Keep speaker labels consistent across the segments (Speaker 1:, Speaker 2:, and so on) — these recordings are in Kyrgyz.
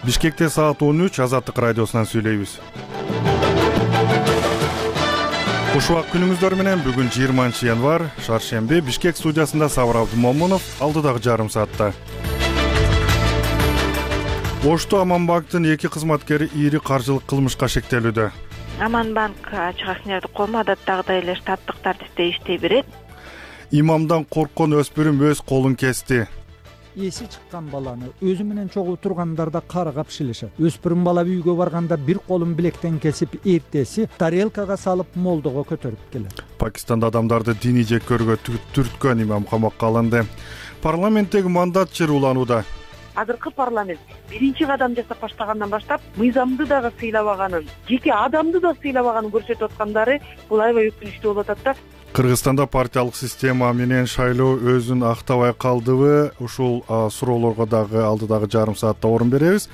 Speaker 1: Бишкекте саат 13 Азаттык радиосунан сүйлөйбүз. Куш убак күнүңүздөр менен. Бүгүн 20 январь, шаршемби. Бишкек студиясында Сабыр Абдумомунов, алдыдагы жарым саатта. Ошто Аманбанктын 2 кызматкери ири каржылык кылмышка шектелүүдө.
Speaker 2: Аманбанк ачык акционердик коому адаттагыдай эле штаттык тартипте иштей берет.
Speaker 1: Имамдан корккон өспүрүм өз колун кести.
Speaker 3: Эси чыккан баланы өзү менен чогуу тургандарда каргап шилишет. Өспүрүм бала үйгө барганда бир колун билектен кесип, эртеси тарелкага салып молдого көтөрүп келет.
Speaker 1: Пакистанда адамдарды диний жеккөрүүгө түрткөн имам камакка алынды. Парламенттеги мандат чырууланууда.
Speaker 4: Азыркы парламент биринчи кадам жасап баштагандан баштап мыйзамды дагы сыйлабаганын, жеке адамды да сыйлабаганын көрсөтүп аткандары бул аябай өкүнүчтүү болуп атат да.
Speaker 1: Кыргызстанда партиялык система менен шайлоо өзүн актабай калдыбы? Ушул суроолорго дагы алдыдагы жарым саатта орун беребиз.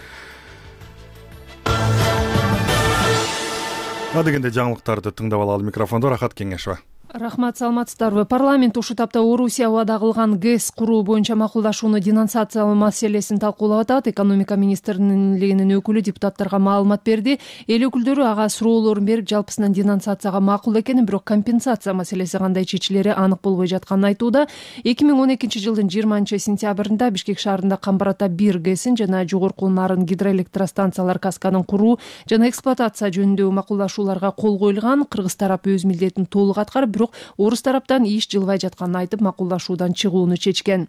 Speaker 1: Адегенде жаңылыктарды тыңдап алалы. Микрофондо Рахат Кеңешова.
Speaker 5: Рахмат, саламатсыздарбы? Парламент ушул тапта Орусия убада кылган ГЭС куруу боюнча макулдашууну денонсациялоо маселесин талкуулап атат. Экономика министрлигинин өкүлү депутаттарга маалымат берди. Эл өкүлдөрү ага суроолорун берип, жалпысынан денонсацияга макул экенин, бирок компенсация маселеси кандай чечилери анык болбой жатканын айтууда. 2012 жылдын 20 сентябрында Бишкек шаарында Камбар-Ата 1 ГЭСин жана Жогорку Нарын гидроэлектростанциялар касканын куруу жана эксплуатация жөнүндөгү макулдашууларга кол коюлган. Кыргыз тарап өз милдетин толук аткарып, бирок орус тараптан иш жылбай жатканын айтып, макулдашуудан чыгууну чечкен.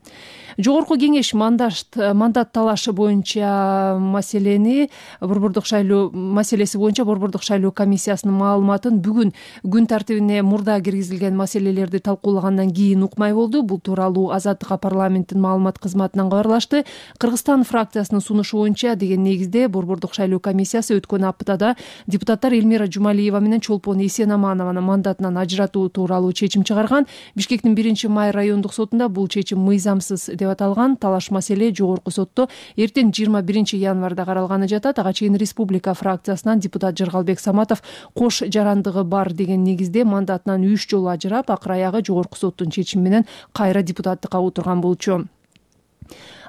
Speaker 5: Жогорку кеңеш мандат талашы боюнча маселеси боюнча Борбордук шайлоо комиссиясынын маалыматын бүгүн күн тартибине мурда киргизилген маселелерди талкуулагандан кийин укмай болду. Бул тууралуу Азаттыкка парламенттин маалымат кызматынан кабарлашты. Кыргызстан фракциясынын сунушу боюнча деген негизде Борбордук шайлоо комиссиясы өткөн аптада депутаттар Эльмира Жумалиева менен Чолпон Эсенаманованы мандатынан ажыратуу тууралуу чечим чыгарган. Бишкектин 1-май райондук сотунда бул чечим мыйзамсыз деп аталган. Талаш маселе жогорку сотто эртең 21 январда каралганы жатат. Ага чейин республика фракциясынан депутат Жыргалбек Саматов кош жарандыгы бар деген негизде мандатынан 3 жолу ажырап, акыр аягы жогорку соттун чечими менен кайра депутаттыкка отурган болчу.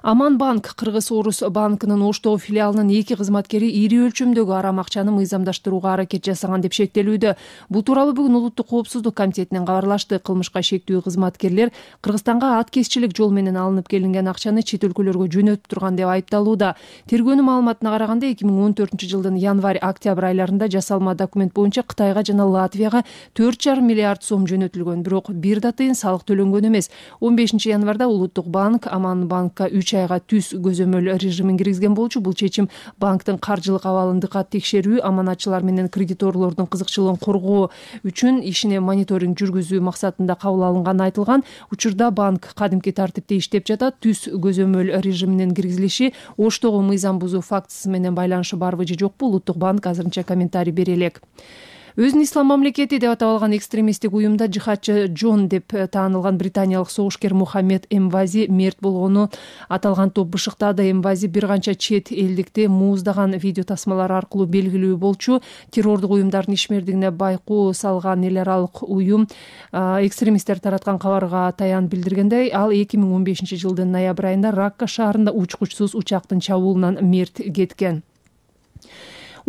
Speaker 5: Аманбанк Кыргыз-Орус банкынын Оштогу филиалынын 2 кызматкери ири өлчөмдөгү арам акчаны мыйзамдаштырууга аракет жасаган деп шектелүүдө. Бул тууралуу бүгүн Улуттук коопсуздук комитетинен кабарлашты. Кылмышка шектүү кызматкерлер Кыргызстанга ат кесчилик жол менен алынып келинген акчаны чет өлкөлөргө жөнөтүп турган деп айыпталууда. Тергөөнүн маалыматына караганда 2014 жылдын январь-октябрь айларында жасалма документ боюнча Кытайга жана Латвияга 4,5 миллиард сом жөнөтүлгөн, бирок бир да тыйын салык төлөнгөн эмес. 15 январда Улуттук банк Аманбанкка 3 айга түз көзөмөл режимин киргизген болчу. Бул чечим банктын каржылык абалын дыкат текшерүү, аманатчылар менен кредиторлордун кызыкчылыгын коргоо үчүн ишине мониторинг жүргүзүү максатында кабыл алынганы айтылган. Учурда банк кадимки тартипте иштеп жатат. Түз көзөмөл режиминин киргизилиши Оштогу мыйзам бузуу фактысы менен байланышы барбы же жокпу? Улуттук банк азырынча комментарий бере элек. Өзүн ислам мамлекети деп атап алган экстремисттик уюмда жихадчы Джон деп таанылган британиялык согушкер Мухаммед Эмвази мерт болгону аталган топ бышыктады. Эмвази бир канча чет элдикти мууздаган видео тасмалар аркылуу белгилүү болчу. Террордук уюмдардын ишмердигине байкуу салган эл аралык уюм экстремисттер тараткан кабарга таян билдиргендей, ал 2015 жылдын ноябрь айында Ракка шаарында учкучсуз учактын чабуулунан мерт кеткен.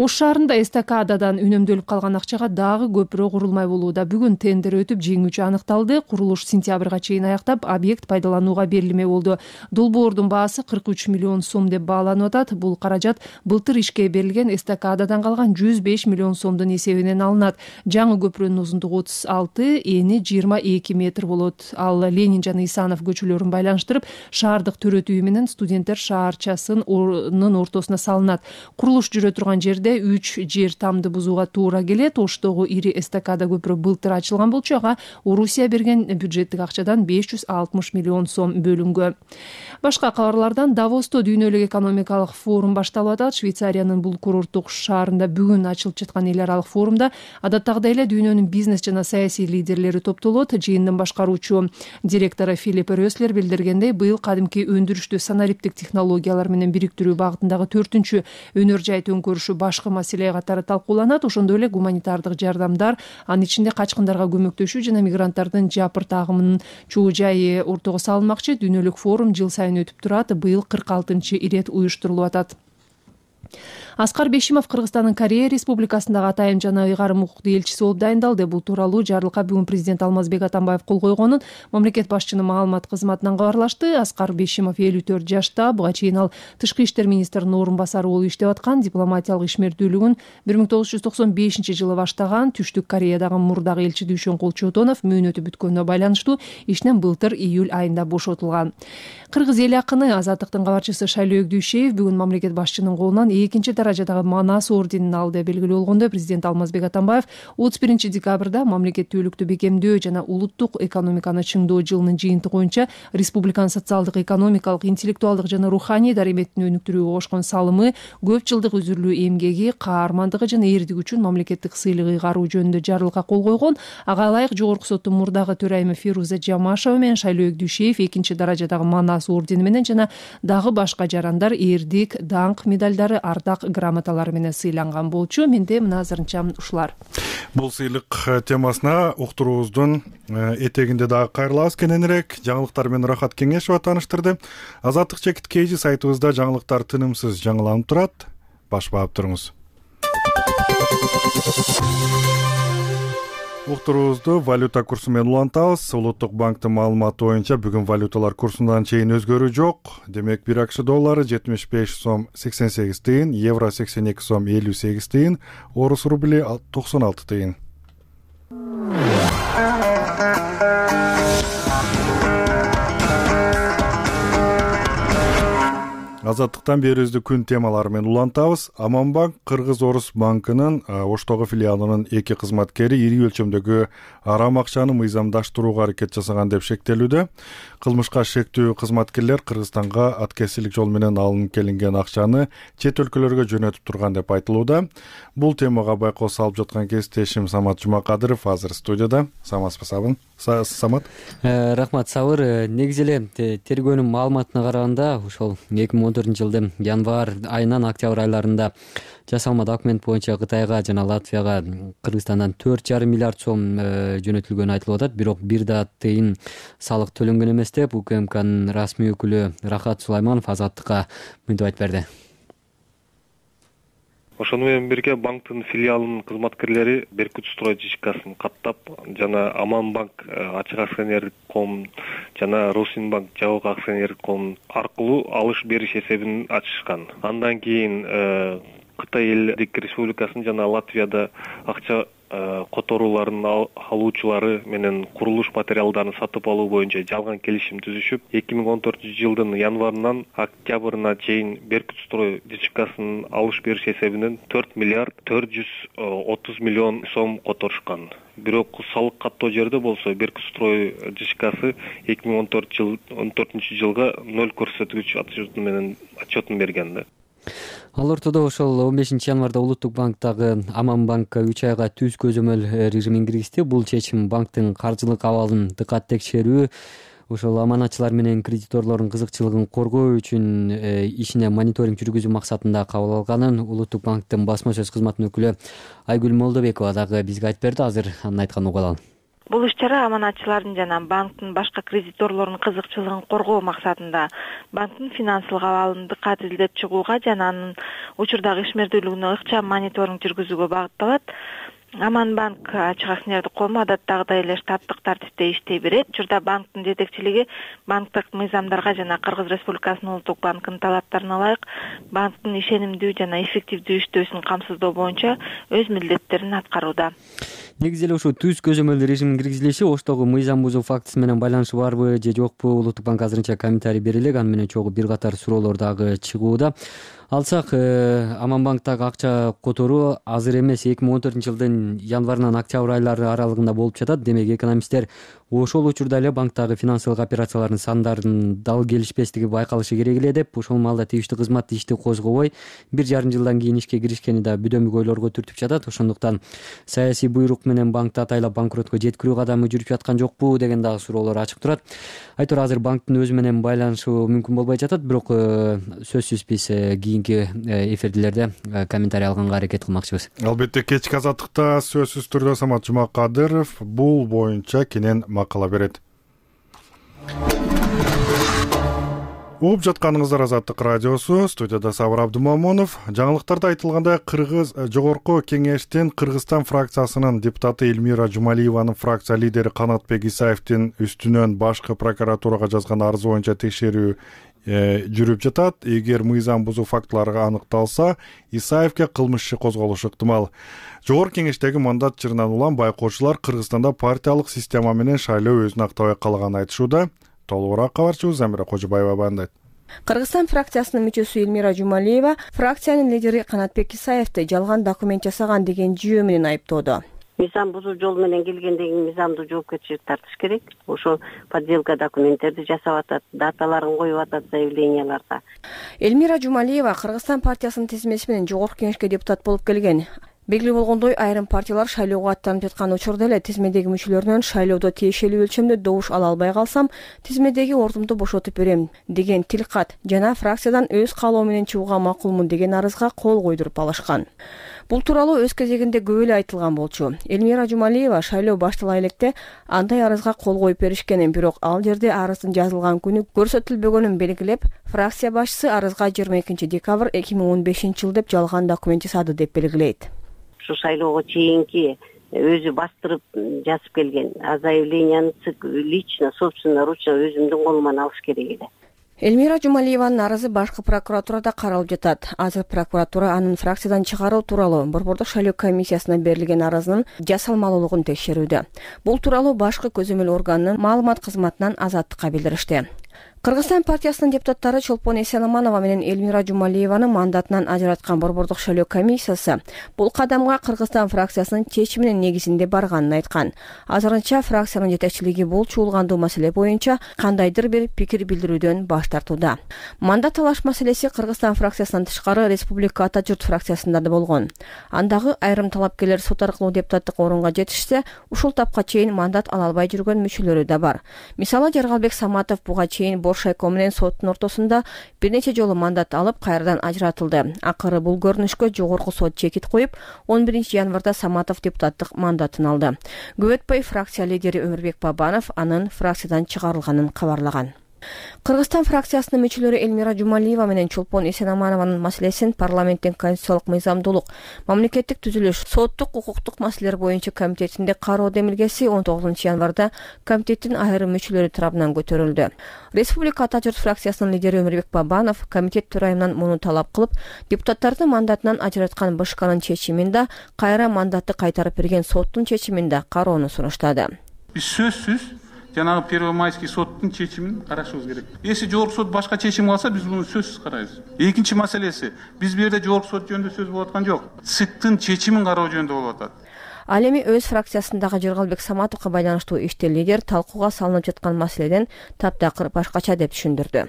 Speaker 5: Ош шаарында эстакададан үнөмдөлүп калган акчага дагы көпүрө курулмай болууда. Бүгүн тендер өтүп, жеңүүчү аныкталды. Курулуш сентябрга чейин аяктап, объект пайдаланууга берилмей болду. Долбоордун баасы 43 миллион сом деп бааланып атат. Бул каражат былтыр ишке берилген эстакададан калган 105 миллион сомдун эсебинен алынат. Жаңы көпүрөнүн узундугу 36, эни 22 метр болот. Ал Ленин жана Исанов көчөлөрүн байланыштырып, шаардык төрөт үйү менен студенттер шаарчасынын ортосуна салынат. Курулуш жүрө турган жерде 3 жер тамды бузууга туура келет. Оштогу ири эстакада көпүрө былтыр ачылган болчу. Ага Орусия берген бюджеттик акчадан 560 миллион сом бөлүнгөн. Башка кабарлардан Давосто дүйнөлүк экономикалык форум башталып атат. Швейцариянын бул курорттук шаарында бүгүн ачылып жаткан эл аралык форумда адаттагыдай эле дүйнөнүн бизнес жана саясий лидерлери топтолот. Жыйындын башкаруучу директору Филипп Рёслер билдиргендей, быйыл кадимки өндүрүштү санариптик технологиялар менен бириктирүү багытындагы 4-чү өнөр жай төңкөрүшү башкы маселе катары талкууланат. Ошондой эле гуманитардык жардамдар, анын ичинде качкындарга көмөктөшүү жана мигранттардын жапырт агымынын чуу жайы ортого салынмакчы. Дүйнөлүк форум жыл сайын өтүп турат. Быйыл 46-ирет уюштурулуп атат. Аскар Бешимов Кыргызстандын Корея Республикасындагы атайын жана ыйгарым укуктуу элчиси болуп дайындалды. Бул тууралуу жарлыкка бүгүн президент Алмазбек Атамбаев кол койгонун мамлекет башчынын маалымат кызматынан кабарлашты. Аскар Бешимов 54 жашта. Буга чейин ал тышкы иштер министринин орун басары болуп иштеп аткан. Дипломатиялык ишмердүүлүгүн 1995 баштаган. Түштүк Кореядагы мурдагы элчи Дүйшөнкул Чотонов мөөнөтү бүткөнүнө байланыштуу ишинен былтыр июль айында бошотулган. Кыргыз эл акыны Азаттыктын кабарчысы Шайлообек Дүйшеев бүгүн мамлекет башчынын колунан экинчи даражадагы Манас орденин алды. Белгилүү болгондой, президент Алмазбек Атамбаев 31 декабрда мамлекеттүүлүктү бекемдөө жана улуттук экономиканы чыңдоо жылынын жыйынтыгы боюнча республиканын социалдык, экономикалык, интеллектуалдык жана руханий дарыметин өнүктүрүүгө кошкон салымы, көп жылдык үзүрлүү эмгеги, каармандыгы жана эрдиги үчүн мамлекеттик сыйлык ыйгаруу жөнүндө жарлыкка кол койгон. Ага ылайык Жогорку соттун мурдагы төрайымы Фируза Жамашева менен Шайлообек Дүйшеев экинчи даражадагы Манас ордени менен жана дагы башка жарандар эрдик, даңк медалдары, ардак грамоталары менен сыйланган болчу. Менде мына азырынча ушулар.
Speaker 1: Бул сыйлык темасына уктуруубуздун этегинде дагы кайрылабыз. Кененирээк жаңылыктар менен Рахат Кеңешова тааныштырды. Азаттык чекит KG сайтыбызда жаңылыктар тынымсыз жаңыланып турат. Баш баап туруңуз. Уктуруубузду валюта курсу менен улантабыз. Улуттук банктын маалыматы боюнча бүгүн валюталар курсундан чейин өзгөрүү жок. Демек, 1 акш доллары 75 сом 88 тыйын, евро 82 сом 58 тыйын, орус рубли 96 тыйын. Азаттыктан берүүбүздү күн темалары менен улантабыз. Аманбанк Кыргыз-Орус банкынын Оштогу филиалынын 2 кызматкери ири өлчөмдөгү арам акчаны мыйзамдаштырууга аракет жасаган деп шектелүүдө. Кылмышка шектүү кызматкерлер Кыргызстанга аткезсиздик жол менен алынып келинген акчаны чет өлкөлөргө жөнөтүп турган деп айтылууда. Бул темага байкоо салып жаткан кесиптешим Самат Жумакадыров азыр студияда. Самат.
Speaker 6: Рахмат, Сабыр. Негизи эле тергөөнүн маалыматына караганда, ошол 2014-жылдын январь айынан октябрь айларында жасалма документ боюнча Кытайга жана Латвияга Кыргызстандан 4,5 миллиард сом жөнөтүлгөнү айтылып атат. Бирок бир да тыйын салык төлөнгөн эмес деп УКМКнын расмий өкүлү Рахат Сулайманов Азаттыкка мынтип айтып берди.
Speaker 7: Ошону менен бирге банктын филиалынын кызматкерлери Беркутстрой ЖКсын каттап жана Аманбанк ачык акционерлик коом жана Росинбанк жабык акционерлик коом аркылуу алыш бериш эсебин ачышкан. Андан кийин Кытай элдик республикасынын жана Латвияда акча которууларын алуучулары менен курулуш материалдарын сатып алуу боюнча жалган келишим түзүшүп, 2014-жылдын январынан октябрына чейин Беркутстрой ЖКсынын алыш бериш эсебинен 4 миллиард 430 миллион сом которушкан. Бирок салык каттоо жерде болсо Беркутстрой ЖКсы 2014-жылга 0 көрсөткүч отчетун берген да.
Speaker 6: Ал ортодо ошол 15 январда Улуттук банктагы Аманбанкка 3 айга түз көзөмөл режимин киргизди. Бул чечим банктын каржылык абалын дыкат текшерүү, ошол аманатчылар менен кредиторлордун кызыкчылыгын коргоо үчүн ишине мониторинг жүргүзүү максатында кабыл алганын Улуттук банктын басма сөз кызматынын өкүлү Айгүл Молдобекова дагы бизге айтып берди. Азыр анын айтканын угуп алалы.
Speaker 2: Бул иш-чара аманатчылардын жана банктын башка кредиторлордун кызыкчылыгын коргоо максатында банктын финансылык абалын дыкат изилдеп чыгууга жана анын учурдагы ишмердүүлүгүнө ыкчам мониторинг жүргүзүүгө багытталат. Аманбанк ачык акционердик коому адаттагыдай эле штаттык тартипте иштей берет. Учурда банктын жетекчилиги банктык мыйзамдарга жана Кыргыз Республикасынын Улуттук банкынын талаптарына ылайык банктын ишенимдүү жана эффективдүү иштөөсүн камсыздоо боюнча өз милдеттерин аткарууда.
Speaker 6: Негизи эле ушул түз көзөмөл режимин киргизилиши Оштогу мыйзам бузуу фактысы менен байланышы барбы же жокпу? Улуттук банк азырынча комментарий бере элек. Аны менен чогуу бир катар суроолор дагы чыгууда. Алсак, Аманбанктагы акча которуу азыр эмес, 2014-жылдын январынан октябрь айлары аралыгында болуп жатат. Демек, экономисттер ошол учурда эле банктагы финансылык операциялардын сандарын дал келишпестиги байкалышы керек эле деп, ошол маалда тийиштүү кызмат ишти козгобой 1,5 жылдан кийин ишке киришкени да бүдөмүк ойлорго түртүп жатат. Ошондуктан саясий буйрук менен банкты атайлап банкротко жеткирүү кадамы жүрүп жаткан жокпу деген дагы суроолор ачык турат. Айтор азыр банктын өзү менен байланышы мүмкүн болбой жатат, бирок сөзсүз биз кийинки эфирдилерде комментарий алганга аракет кылмакчыбыз.
Speaker 1: Албетте, кечки азаттыкта сөзсүз түрдө Самат Жумакадыров бул боюнча кенен макала берет. Угуп жатканыңыздар Азаттык радиосу, студияда Сабыр Абдымомунов. Жаңылыктарда айтылгандай, Кыргыз жогорку кеңештин Кыргызстан фракциясынын депутаты Элмира Жумалиеванын фракция лидери Канатбек Исаевдин үстүнөн башкы прокуратурага жазган арызы боюнча текшерүү жүрүп жатат. Эгер мыйзам бузуу фактылары аныкталса, Исаевге кылмыш иши козголушу ыктымал. Жогорку кеңештеги мандат жырынан улам байкоочулар Кыргызстанда партиялык система менен шайлоо өзүн актабай калганын айтышууда. Толугураак кабарчыбыз Замира Кожобаева баяндайт.
Speaker 8: Кыргызстан фракциясынын мүчөсү Элмира Жумалиева фракциянын лидери Канатбек Исаевди жалган документ жасаган деген жүйө менен айыптоодо.
Speaker 9: Мыйзам бузуу жол менен келгенден кийин мыйзамдуу жоопкерчилик тартыш керек. Ошо подделка документтерди жасап атат, даталарын коюп атат заявленияларга.
Speaker 8: Элмира Жумалиева Кыргызстан партиясынын тизмеси менен жогорку кеңешке депутат болуп келген. Белгилүү болгондой, айрым партиялар шайлоого аттанып жаткан учурда эле тизмедеги мүчөлөрүнөн шайлоодо тиешелүү өлчөмдө добуш ала албай калсам, тизмедеги ордумду бошотуп берем деген тилкат жана фракциядан өз каалоо менен чыгууга макулмун деген арызга кол койдуруп алышкан. Бул тууралуу өз кезегинде көп эле айтылган болчу. Элмира Жумалиева шайлоо баштала электе андай арызга кол коюп беришкенин, бирок ал жерде арыздын жазылган күнү көрсөтүлбөгөнүн белгилеп, фракция башчысы арызга 22 декабрь 2015 деп жалган документ жасады деп белгилейт.
Speaker 9: Ушу шайлоого чейинки өзү бастырып жазып келген заявленияны лично, собственно, ручно өзүмдүн колуман алыш керек эле.
Speaker 8: Элмира Жумалиеванын арызы башкы прокуратурада каралып жатат. Азыр прокуратура анын фракциядан чыгаруу тууралуу Борбордук шайлоо комиссиясына берилген арызынын жасалмалуулугун текшерүүдө. Бул тууралуу башкы көзөмөл органынын маалымат кызматынан Азаттыкка билдиришти. Кыргызстан партиясынын депутаттары Чолпон Эсенаманова менен Элмира Жумалиеваны мандатынан ажыраткан Борбордук шайлоо комиссиясы бул кадамга Кыргызстан фракциясынын чечиминин негизинде барганын айткан. Азырынча фракциянын жетекчилиги бул чуулгандуу маселе боюнча кандайдыр бир пикир билдирүүдөн баш тартууда. Мандат талаш маселеси Кыргызстан фракциясынан тышкары Республика Ата журт фракциясында да болгон. Андагы айрым талапкерлер сот аркылуу депутаттык орунга жетишсе, ушул тапка чейин мандат ала албай жүргөн мүчөлөрү да бар. Мисалы, Жаргалбек Саматов буга чейин Боршайко менен соттун ортосунда бир нече жолу мандат алып, кайрадан ажыратылды. Акыры бул көрүнүшкө жогорку сот чекит коюп, 11 январда Саматов депутаттык мандатын алды. Көп өтпөй фракция лидери Өмүрбек Бабанов анын фракциядан чыгарылганын кабарлаган. Кыргызстан фракциясынын мүчөлөрү Элмира Жумалиева менен Чолпон Эсенаманованын маселесин парламенттин конституциялык мыйзамдуулук, мамлекеттик түзүлүш, соттук укуктук маселелер боюнча комитетинде кароо демилгеси 19 январда комитеттин айрым мүчөлөрү тарабынан көтөрүлдү. Республика Ата журт фракциясынын лидери Өмүрбек Бабанов комитет төрайымынан муну талап кылып, депутаттарды мандатынан ажыраткан БШКнын чечимин да, кайра мандатты кайтарып берген соттун чечимин да кароону сунуштады.
Speaker 10: Биз сөзсүз жанагы Первомайский соттун чечимин карашыбыз керек. Эси жогорку сот башка чечим алса, биз муну сөзсүз карайбыз. Экинчи маселеси, биз бу жерде жогорку сот жөнүндө сөз болуп аткан жок. ЦИКтын чечимин кароо жөнүндө болуп атат.
Speaker 8: Ал эми өз фракциясындагы Жаргалбек Саматовго байланыштуу иште лидер талкууга салынып жаткан маселеден таптакыр башкача деп түшүндүрдү.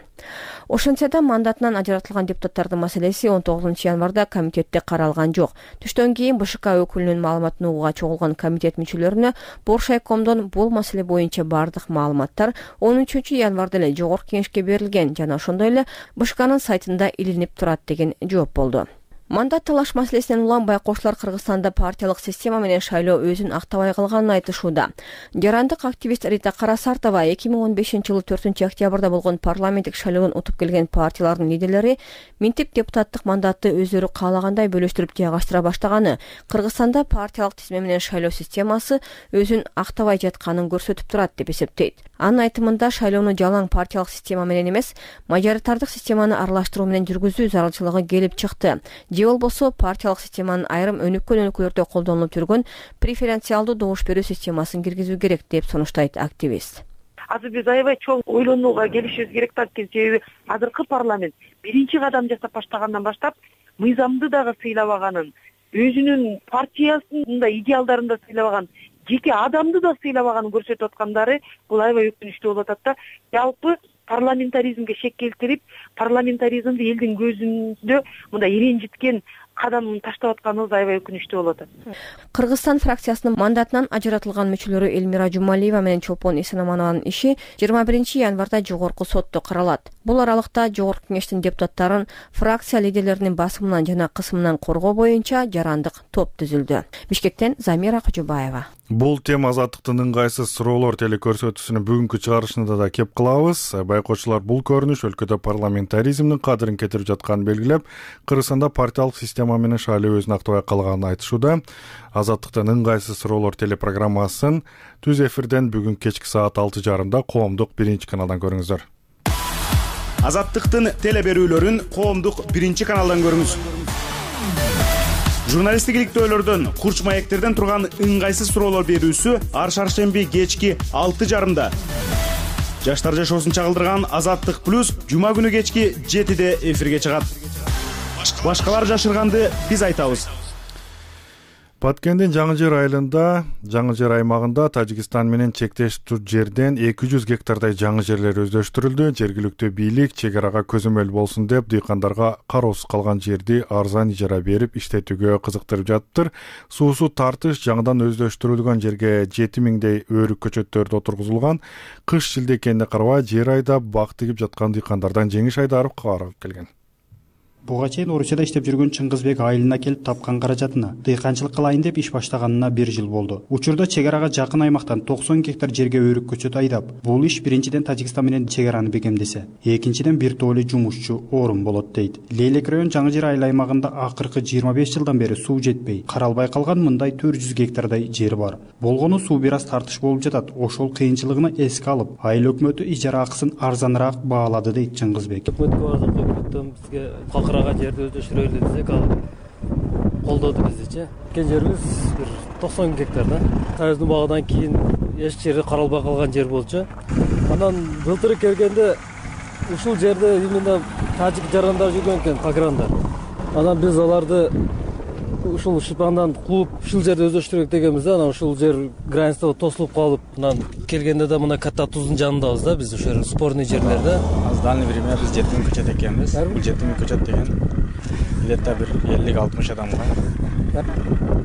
Speaker 8: Ошентсе да мандатынан ажыратылган депутаттардын маселеси 19 январда комитетте каралган жок. Түштөн кийин БШК өкүлүнүн маалыматын угууга чогулган комитет мүчөлөрүнө Боршайкомдон бул маселе боюнча бардык маалыматтар 13 январда эле жогорку кеңешке берилген жана ошондой эле БШКнын сайтында илинип турат деген жооп болду. Мандат талаш маселесинен улам байкоочулар Кыргызстанда партиялык система менен шайлоо өзүн актабай калганын айтышууда. Жарандык активист Рита Карасартова 2015-жылы 4 октябрда болгон парламенттик шайлоодон утуп келген партиялардын лидерлери минтип депутаттык мандатты өздөрү каалагандай бөлүштүрүп жайгаштыра баштаганы Кыргызстанда партиялык тизме менен шайлоо системасы өзүн актабай жатканын көрсөтүп турат деп эсептейт. Анын айтымында шайлоону жалаң партиялык система менен эмес, мажоритардык системаны аралаштыруу менен жүргүзүү зарылчылыгы келип чыкты. Же болбосо партиялык системанын айрым өнүккөн өлкөлөрдө колдонулуп жүргөн преференциалдуу добуш берүү системасын киргизүү керек деп сунуштайт активист.
Speaker 4: Азыр биз аябай чоң ойлонууга келишибиз керек да, себеби азыркы парламент биринчи кадам жасап баштагандан баштап мыйзамды дагы сыйлабаганын, өзүнүн партиясынын да идеалдарын да сыйлабаган, жеке адамды да сыйлабаганын көрсөтүп аткандары бул аябай өкүнүчтүү болуп атат да. Жалпы парламентаризмге шек келтирип, парламентаризмди элдин көзүндө мындай иренжиткен кадамын таштап атканыбыз аябай өкүнүчтүү болуп атат.
Speaker 8: Кыргызстан фракциясынын мандатынан ажыратылган мүчөлөрү Элмира Жумалиева менен Чолпон Эсенаманованын иши 21 январда жогорку сотто каралат. Бул аралыкта жогорку кеңештин депутаттарын фракция лидерлеринин басымынан жана кысымынан коргоо боюнча жарандык топ түзүлдү. Бишкектен Замира Кожобаева.
Speaker 1: Бул тема Азаттыктын ыңгайсыз суроолор телекөрсөтүүсүнүн бүгүнкү чыгарылышында да кеп кылабыз. Байкоочулар бул көрүнүш өлкөдө парламентаризмдин кадырын кетирип жатканын белгилеп, Кыргызстанда партиялык система менен шайлоо өзүн актабай калганын айтышууда. Азаттыктын ыңгайсыз суроолор телепрограммасын түз эфирден бүгүн кечки саат 6:30 коомдук 1-каналдан көрүңүздөр.
Speaker 11: Азаттыктын телеберүүлөрүн коомдук 1-каналдан көрүңүз. Журналисттик иликтөөлөрдөн, курч маектерден турган ыңгайсыз суроолор берүүсү ар шаршемби кечки 6:30. Жаштар жашоосун чагылдырган Азаттык плюс жума күнү кечки 7:00 эфирге чыгат. Башкалар жашырганды биз айтабыз.
Speaker 1: Баткендин Жаңы Жер айылында, Жаңы Жер аймагында Тажикстан менен чектеш жерден 200 гектардай жаңы жерлер өздөштүрүлдү. Жергиликтүү бийлик чек арага көзөмөл болсун деп дыйкандарга кароосуз калган жерди арзан ижара берип иштетүүгө кызыктырып жатыптыр. Суусу тартыш жаңыдан өздөштүрүлгөн жерге 7000дей өрүк көчөттөрдү отургузулган. Кыш шилдекенине карабай жер айдап бак тигип жаткан дыйкандардан Жеңиш Айдаров кабар алып келген.
Speaker 12: Буга чейин Орусияда иштеп жүргөн Чыңгызбек айылына келип тапкан каражатына дыйканчылык кылайын деп иш баштаганына 1 жыл болду. Учурда чек арага жакын аймактан 90 гектар жерге өрүк көчөт айдап, бул иш биринчиден Тажикстан менен чек араны бекемдесе, экинчиден бир топ эле жумушчу орун болот дейт. Лейлек район Жаңы Жер айыл аймагында акыркы 25 жылдан бери суу жетпей, каралбай калган мындай 400 гектардай жер бар. Болгону суу бир аз тартыш болуп жатат. Ошол кыйынчылыгын эске алып, айыл өкмөтү ижара акысын арзаныраак баалады дейт Чыңгызбек.
Speaker 13: Бизге калкырага жерди өздөштүрөлү десек, ал колдоду биздичи. Кен жерибиз бир 90 гектар да. Тайыздын багадан кийин эч жери каралбай калган жер болчу. Анан былтыр келгенде ушул жерде именно тажик жарандар жүргөн экен, пограндар. Анан биз аларды ушул шипандан кууп, ушул жерди өздөштүрөк дегенбиз да. Анан ушул жер границада тосулуп калып, анан келгенде да мына катта туздун жанындабыз да, биз ошол спорный жерлерде.
Speaker 14: В дальнее время биз 7000 көчөт экенбиз. Бул 7000 көчөт деген илетте бир 50-60 адамга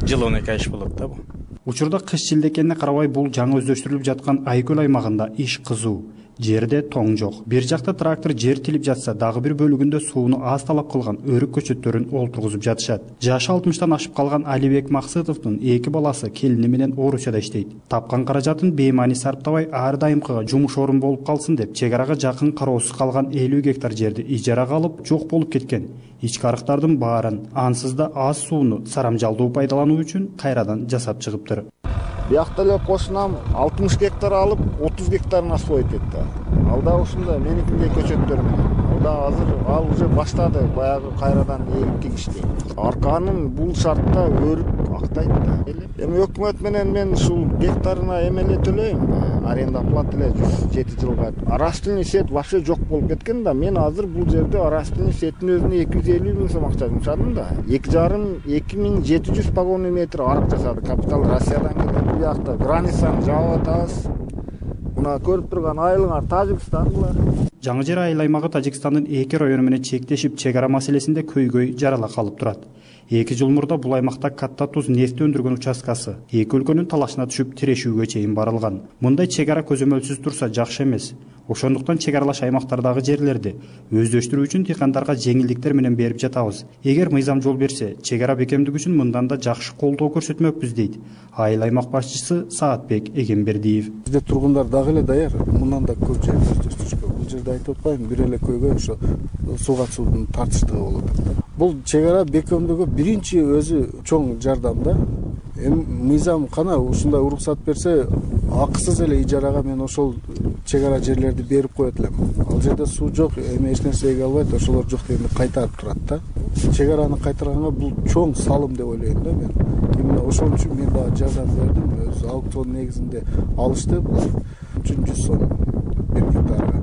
Speaker 14: жыл 12 ай иш болот да бул.
Speaker 12: Учурда кыш шилдекенине карабай бул жаңы өздөштүрүлүп жаткан Айкөл аймагында иш кызуу. Жерде тоң жок. Бир жакта трактор жер тилип жатса, дагы бир бөлүгүндө сууну аз талап кылган өрүк көчөттөрүн олтургузуп жатышат. Жашы 60-тан ашып калган Алибек Максытовдун 2 баласы келини менен Орусияда иштейт. Тапкан каражатын беймани сарптабай ар дайымкыга жумуш орун болуп калсын деп, чек арага жакын кароосуз калган 50 гектар жерди ижарага алып, жок болуп кеткен. Ички арыктардын баарын, ансыз да аз сууну сарамжалдуу пайдалануу үчүн кайрадан жасап чыгыптыр.
Speaker 15: Биякта эле кошунам 60 гектар алып, 30 гектарын освоить этти. Алда ушундай меникиндей көчөттөр менен. Алда азыр ал уже баштады, баягы кайрадан эгип тигишти. Арканын бул шартта өрүк актайт да. Эми өкмөт менен мен ушул гектарына эмеле төлөйм, аренда плата эле 107 жылга. Арастылный сет вообще жок болуп кеткен да. Мен азыр бул жерде арастылный сеттин өзүнө 250 000 сом акча жумшадым да. 2,5-2700 погонный метр арык жасады. Капитал Россиядан келген. Биякта границаны жаап атабыз. Мына көрүп турган айылыңар Тажикстандылар.
Speaker 12: Жаңы Жер айыл аймагы Тажикстандын 2 району менен чектешип, чек ара маселесинде көйгөй жарала калып турат. 2 жыл мурда бул аймакта катта туз нефти өндүргөн участкасы эки өлкөнүн талашына түшүп тирешүүгө чейин барылган. Мындай чек ара көзөмөлсүз турса жакшы эмес. Ошондуктан чек аралаш аймактардагы жерлерди өздөштүрүү үчүн дыйкандарга жеңилдиктер менен берип жатабыз. Эгер мыйзам жол берсе, чек ара бекемдик үчүн мындан да жакшы колдоо көрсөтмөкпүз дейт айыл аймак башчысы Саатбек Эгембердиев.
Speaker 16: Бизде тургундар дагы эле даяр, мындан да көп жер өздөштүрүшкө. Бул жерде айтып атпайм, бир эле көйгөй ошо сууга суунун тартыштыгы болуп атат. Бул чек ара бекемдөөгө биринчи өзү чоң жардам да. Эми мыйзам кана ушундай уруксат берсе, акысыз эле ижарага мен ошол чек ара жерлерди берип коет элем. Ал жерде суу жок, эми эч нерсе эге албайт, ошолор жок дегенде кайтарып турат да. Чек араны кайтарганга бул чоң салым деп ойлойм да мен. Именно ошол үчүн мен дагы жардам бердим. Өзү аукцион негизинде алышты булар 300 сом бир гектарга.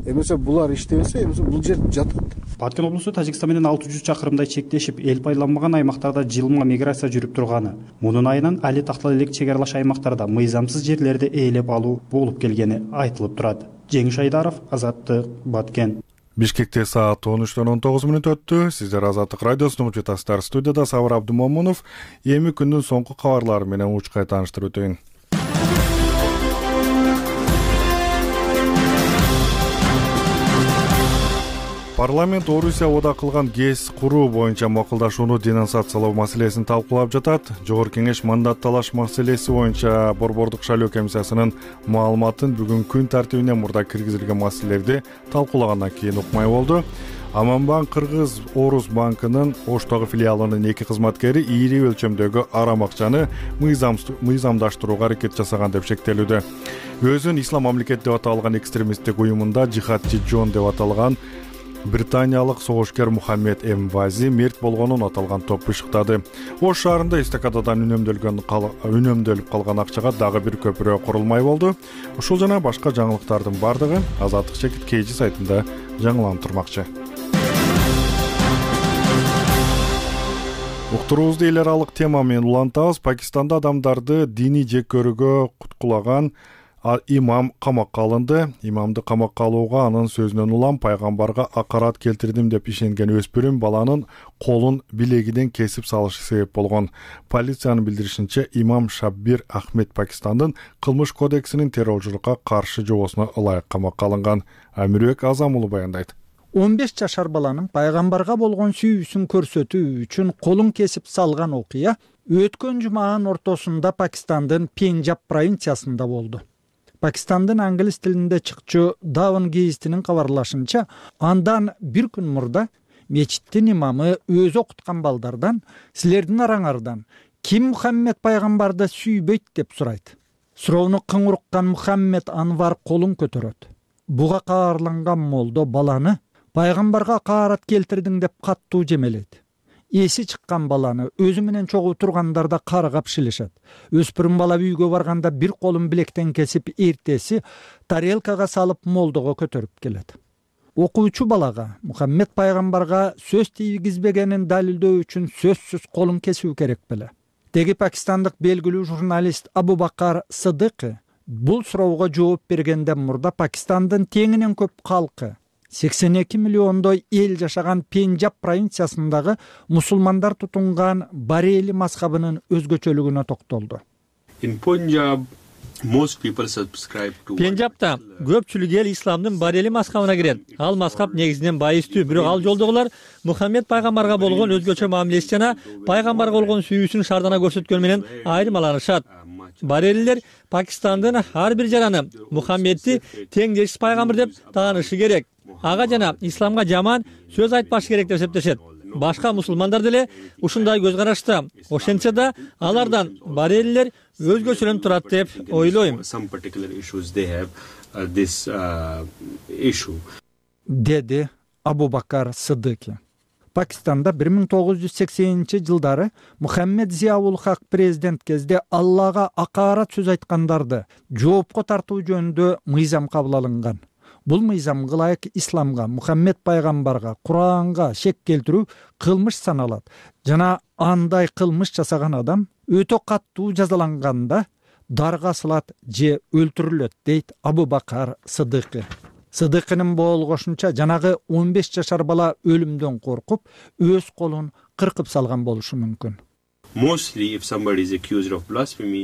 Speaker 16: Эмесе булар иштебесе, эмесе бул жер жатат.
Speaker 12: Баткен облусу Тажикстан менен 600 чакырымдай чектешип, эл пайдаланбаган аймактарда жылма миграция жүрүп турганы, мунун айынан али тактала элек чек аралаш аймактарда мыйзамсыз жерлерди ээлеп алуу болуп келгени айтылып турат. Жеңиш Айдаров, Азаттык, Баткен.
Speaker 1: Бишкекте саат 13:19 өттү. Сиздер Азаттык радиосун угуп жатасыздар. Студияда Сабыр Абдумомунов. Эми күндүн соңку кабарлары менен учкай тааныштырып өтөйүн. Парламент Орусия ода кылган ГЭС куруу боюнча макулдашууну денонсациялоо маселесин талкуулап жатат. Жогорку кеңеш мандат талаш маселеси боюнча Борбордук шайлоо комиссиясынын маалыматын бүгүн күн тартибине мурда киргизилген маселелерди талкуулагандан кийин укмай болду. Аманбанк Кыргыз Орус банкынын Оштогу филиалынын 2 кызматкери ири өлчөмдөгү арам акчаны мыйзамдаштырууга аракет жасаган деп шектелүүдө. Өзүн ислам мамлекет деп аталган экстремисттик уюмунда жихадчы Джон деп аталган британиялык согушкер Мухаммед Эмвази мерт болгонун аталган топ бышыктады. Ош шаарында эстакададан үнөмдөлүп калган акчага дагы бир көпүрө курулмай болду. Ушул жана башка жаңылыктардын бардыгы Азаттык Чекит KG сайтында жаңыланып турмакчы. Уктуруубузду эл аралык тема менен улантабыз. Пакистанда адамдарды диний жеккөрүүгө куткулаган имам камакка алынды. Имамды камакка алууга анын сөзүнөн улам пайгамбарга акарат келтирдим деп ишенген өспүрүм баланын колун билегинен кесип салышы себеп болгон. Полициянын билдиришинче, имам Шаббир Ахмед Пакистандын кылмыш кодексинин террорчулукка каршы жобосуна ылайык камакка алынган. Амирбек Азам уулу баяндайт.
Speaker 3: 15 жашар баланын пайгамбарга болгон сүйүүсүн көрсөтүү үчүн колун кесип салган окуя өткөн жуманын ортосунда Пакистандын Пенджаб провинциясында болду. Пакистандын англис тилинде чыкчу Даван гезитинин кабарлашынча, андан бир күн мурда мечиттин имамы өзү окуткан балдардан, силердин араңардан ким Мухаммед пайгамбарды сүйбөйт деп сурайт. Суроону кыңыр уккан Мухаммед Анвар колун көтөрөт. Буга каарланган молдо баланы пайгамбарга акарат келтирдиң деп каттуу жемелейт. Эси чыккан баланы өзү менен чогуу тургандарда каргап шилишет. Өспүрүм бала үйгө барганда бир колун билектен кесип, эртеси тарелкага салып молдого көтөрүп келет. Окуучу балага Мухаммед пайгамбарга сөз тийгизбегенин далилдөө үчүн сөзсүз колун кесүү керек беле. Теги пакистандык белгилүү журналист Абу Бакар Сыдыкы бул суроого жооп бергенден мурда Пакистандын теңинен көп калкы 82 миллиондой эл жашаган Пенджаб провинциясындагы мусулмандар тутунган Барели мазхабынын өзгөчөлүгүнө токтолду.
Speaker 17: Пенджабта көпчүлүк эл исламдын Барели мазхабына кирет. Ал мазхаб негизинен байыстуу, бирок ал жолдогулар Мухаммед пайгамбарга болгон өзгөчө мамилеси жана пайгамбарга болгон сүйүүсүн шардана көрсөткөн менен айырмаланышат. Барелилер Пакистандын ар бир жараны Мухаммедти теңдешсиз пайгамбар деп таанышы керек. Ага жана исламга жаман сөз айтпаш керек деп эсептешет. Башка мусулмандар деле ушундай көз карашта. Ошентсе да алардан барелилер өзгөчөлөнүп турат деп ойлойм.
Speaker 3: Деди Абу Бакар Сыдыки. Пакистанда 1980-жылдары Мухаммед Зияул Хак президент кезде Аллага акарат сөз айткандарды жоопко тартуу жөнүндө мыйзам кабыл алынган. Бул мыйзамга ылайык исламга, Мухаммед пайгамбарга, Куранга шек келтирүү кылмыш саналат. Жана андай кылмыш жасаган адам өтө каттуу жазаланганда дарга асылат же өлтүрүлөт, дейт Абу Бакар Сыдыкы. Сыдыкынын болгошунча жанагы 15 жашар бала өлүмдөн коркуп, өз колун кыркып салган болушу мүмкүн.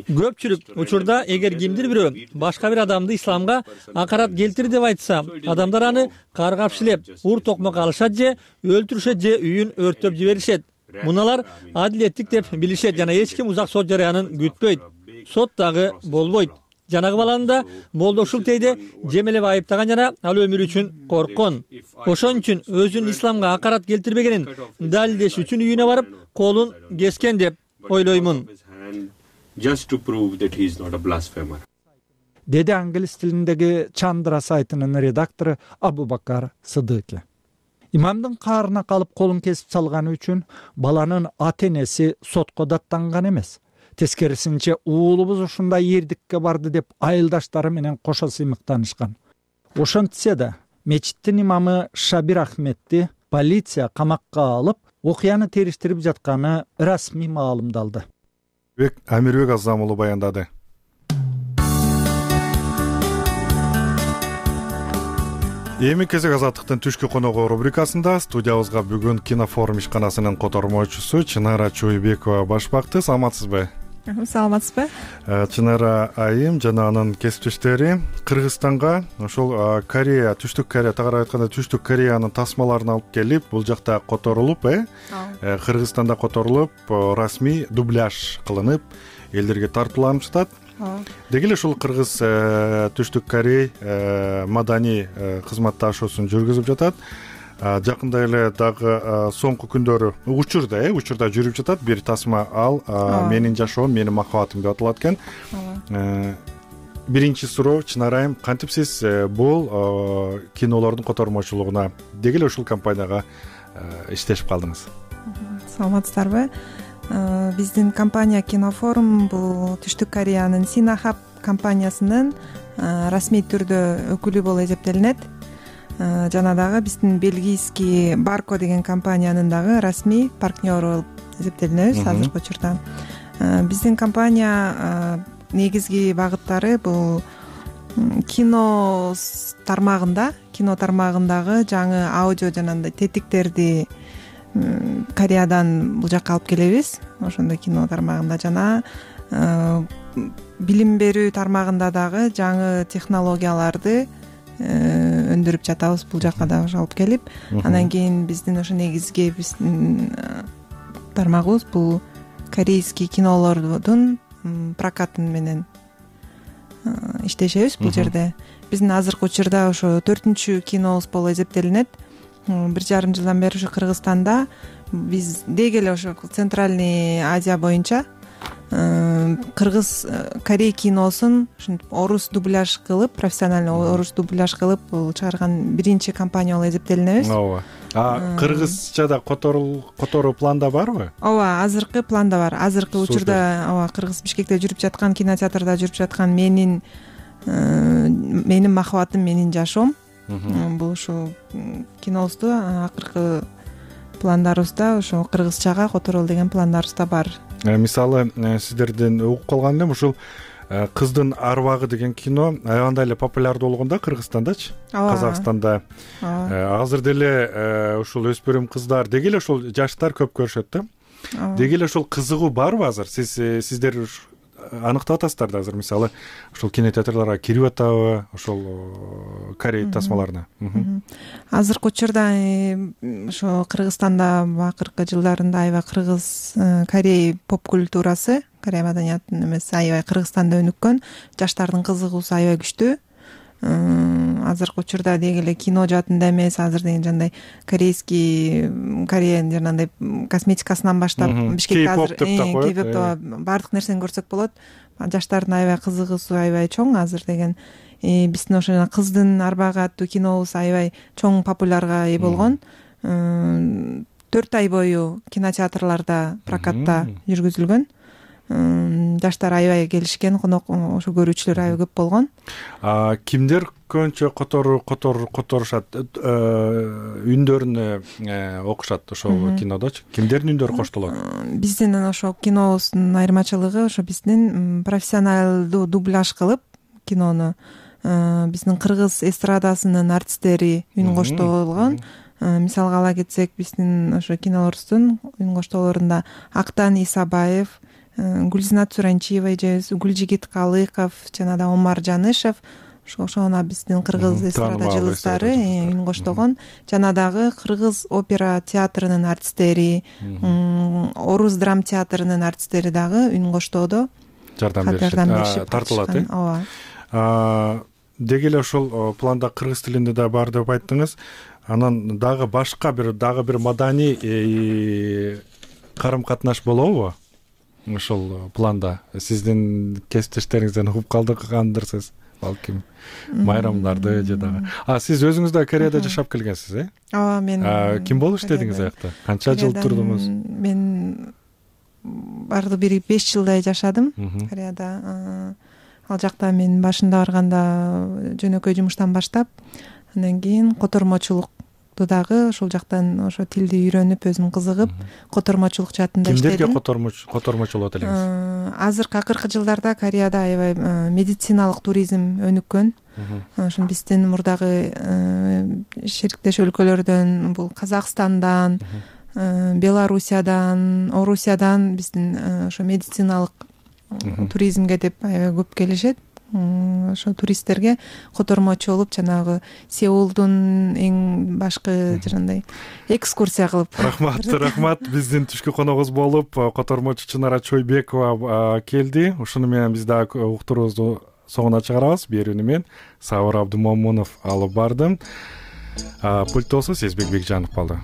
Speaker 17: Көпчүлүк учурда эгер кимдир бирөө башка бир адамды исламга акарат келтир деп айтса, адамдар аны каргап шилеп, ур токмок алышат же өлтүрүшөт же үйүн өрттөп жиберишет. Муналар адилеттик деп билишет жана эч ким узак сот жарыянын күтпөйт. Сот дагы болбойт. Жанагы баланы да молдо ушул тейде жемелеп айыптаган жана ал өмүрү үчүн корккон. Ошон үчүн өзүн исламга акарат келтирбегенин далилдеш үчүн үйүнө барып, колун кескен деп ойлоймун.
Speaker 3: Деди англис тилиндеги Чандра сайтынын редактору Абу Бакар Сыдыки. Имамдын каарына калып колун кесип салганы үчүн баланын ата-энеси сотко даттанган эмес. Тескерисинче уулубуз ушундай эрдикке барды деп айылдаштары менен кошо сыймыктанышкан. Ошентсе да мечиттин имамы Шабир Ахмедти полиция камакка алып, окуяны териштирип жатканы расмий маалымдалды.
Speaker 1: Амирбек Азам уулу баяндады. Эми кезек Азаттыктын түшкү коногу рубрикасында студиябызга бүгүн Кинофорум ишканасынын котормочусу Чынара Чойбекова баш бакты. Саламатсызбы?
Speaker 18: саламатсызбы?
Speaker 1: Чынара айым жана анын кесиптештери Кыргызстанга ошол Корея, Түштүк Корея, тагыраак айтканда Түштүк Кореянын тасмаларын алып келип, бул жакта которулуп, Кыргызстанда которулуп, расмий дубляж кылынып, элдерге тартууланышат. Деги эле ушул Кыргыз Түштүк Корей маданий кызматташуусун жүргүзүп жатат. Жакында эле дагы соңку күндөрү учурда жүрүп жатат бир тасма, ал менин жашоом, менин махабатым деп аталат экен. Биринчи суроо, Чынара айым, кантип сиз бул кинолордун котормочулугуна деги эле ушул компанияга иштешип калдыңыз?
Speaker 18: Саламатсыздарбы? Биздин компания Кинофорум бул Түштүк Кореянын Синахаб компаниясынын расмий түрдө өкүлү болуп эсептелинет. Жана дагы биздин бельгийский Барко деген компаниянын дагы расмий партнеру болуп эсептелинебиз азыркы учурда. Биздин компания негизги багыттары бул кино тармагындагы жаңы аудио жанагындай тетиктерди Кореядан бул жакка алып келебиз. Ошондой кино тармагында жана билим берүү тармагында дагы жаңы технологияларды өндүрүп жатабыз бул жакка дагы алып келип. Андан кийин биздин ошо негизги биздин тармагыбыз бул корейский кинолордун прокатын менен иштешебиз бул жерде. Биздин азыркы учурда ошо 4-чү кинобуз болуп эсептелинет. 1,5 жылдан бери ушу Кыргызстанда биз деги эле ошо Центральный Азия боюнча кыргыз корей киносун ушинтип орус дубляж кылып, профессиональный орус дубляж кылып чыгарган биринчи компания болуп эсептелинебиз.
Speaker 1: Ооба. Кыргызчада которуу планда барбы?
Speaker 18: Ооба, азыркы планда бар. Азыркы учурда Кыргыз Бишкекте жүрүп жаткан, кинотеатрда жүрүп жаткан менин махабатым, менин жашоом. Бул ушул кинобузду акыркы пландарыбызда ошо кыргызчага которол деген пландарыбызда бар.
Speaker 1: Мисалы, сиздерден угуп калган элем, ушул Кыздын арбагы деген кино аябандай эле популярдуу болгон да Кыргызстандачы, Казакстанда. Азыр деле ушул өспүрүм кыздар деги эле ушул жаштар көп көрүшөт да. Деги эле ушул кызыгуу барбы азыр? Сиздер аныктап атасыздар да азыр, мисалы, ушул кинотеатрларга кирип атабы ошол Корей тасмаларына?
Speaker 18: Азыркы учурда ошо Кыргызстанда акыркы жылдарында аябай кыргыз Корей поп культурасы, Корей маданиятынын эмеси аябай Кыргызстанда өнүккөн, жаштардын кызыгуусу аябай күчтүү. Азыркы учурда деги эле кино жаатында эмес, азыр деген жандай корейский, Кореянын жанагындай косметикасынан баштап Бишкекте азыр Кей-поп баардык нерсени көрсөк болот. Жаштардын аябай кызыгуусу аябай чоң азыр деген. Биздин ошо жана Кыздын арбагы аттуу кинобуз аябай чоң популярга ээ болгон. 4 ай бою кинотеатрларда прокатта жүргүзүлгөн. Жаштар аябай келишкен, конок ошо көрүүчүлөр аябай көп болгон.
Speaker 1: Кимдер көбүнчө которушат, үндөрүнө окушат ошол кинодочу? Кимдердин үндөрү коштолот?
Speaker 18: Биздин ошо кинобуздун айырмачылыгы ошо биздин профессионалдуу дубляж кылып кинону биздин кыргыз эстрадасынын артисттери үн коштолгон. Мисалга ала кетсек, биздин ошо кинолорубуздун үн коштоолорунда Актан Исабаев, Гүлзинат Суранчиева эжебиз, Гүлжигит Калыков жана да Омар Жанышев, ошону биздин кыргыз эстрада жылдыздары үн коштогон. Жана дагы кыргыз опера театрынын артисттери, орус драм театрынын артисттери дагы үн коштоодо
Speaker 1: жардам беришип тартылат.
Speaker 18: Ооба.
Speaker 1: Деги эле ошол планда кыргыз тилинде да бар деп айттыңыз. Анан дагы башка бир маданий карым-катнаш болобу? Ошол планда сиздин кесиптештериңизден угуп калдыргандырсыз, балким майрамдарды же дагы. Сиз өзүңүз да Кореяда жашап келгенсиз,
Speaker 18: Ооба, мен
Speaker 1: ким болуп иштедиңиз аякта? Канча жыл турдуңуз?
Speaker 18: Мен барды бир 5 жылдай жашадым Кореяда. Ал жакта мен башында барганда жөнөкөй жумуштан баштап, андан кийин котормочулук дагы ошол жактан ошо тилди үйрөнүп, өзүм кызыгып, котормочулук жаатында иштедим.
Speaker 1: Кимдерге котормочулуп элеңиз?
Speaker 18: Азыркы акыркы жылдарда Кореяда аябай медициналык туризм өнүккөн. Ошо биздин мурдагы шериктеш өлкөлөрдөн, бул Казакстандан, Белоруссиядан, Орусиядан биздин ошо медициналык туризмге деп аябай көп келишет. Ошо туристтерге котормочу болуп жанагы Сеулдун эң башкы жанагындай экскурсия кылып.
Speaker 1: Рахмат. Биздин түшкү коногубуз болуп котормочу Чынара Чойбекова келди. Ушуну менен биз дагы уктуруубузду соңуна чыгарабыз. Берүүнү мен Сабыр Абдымомунов алып бардым. Пульттосу Сезбек Бекжанов калды.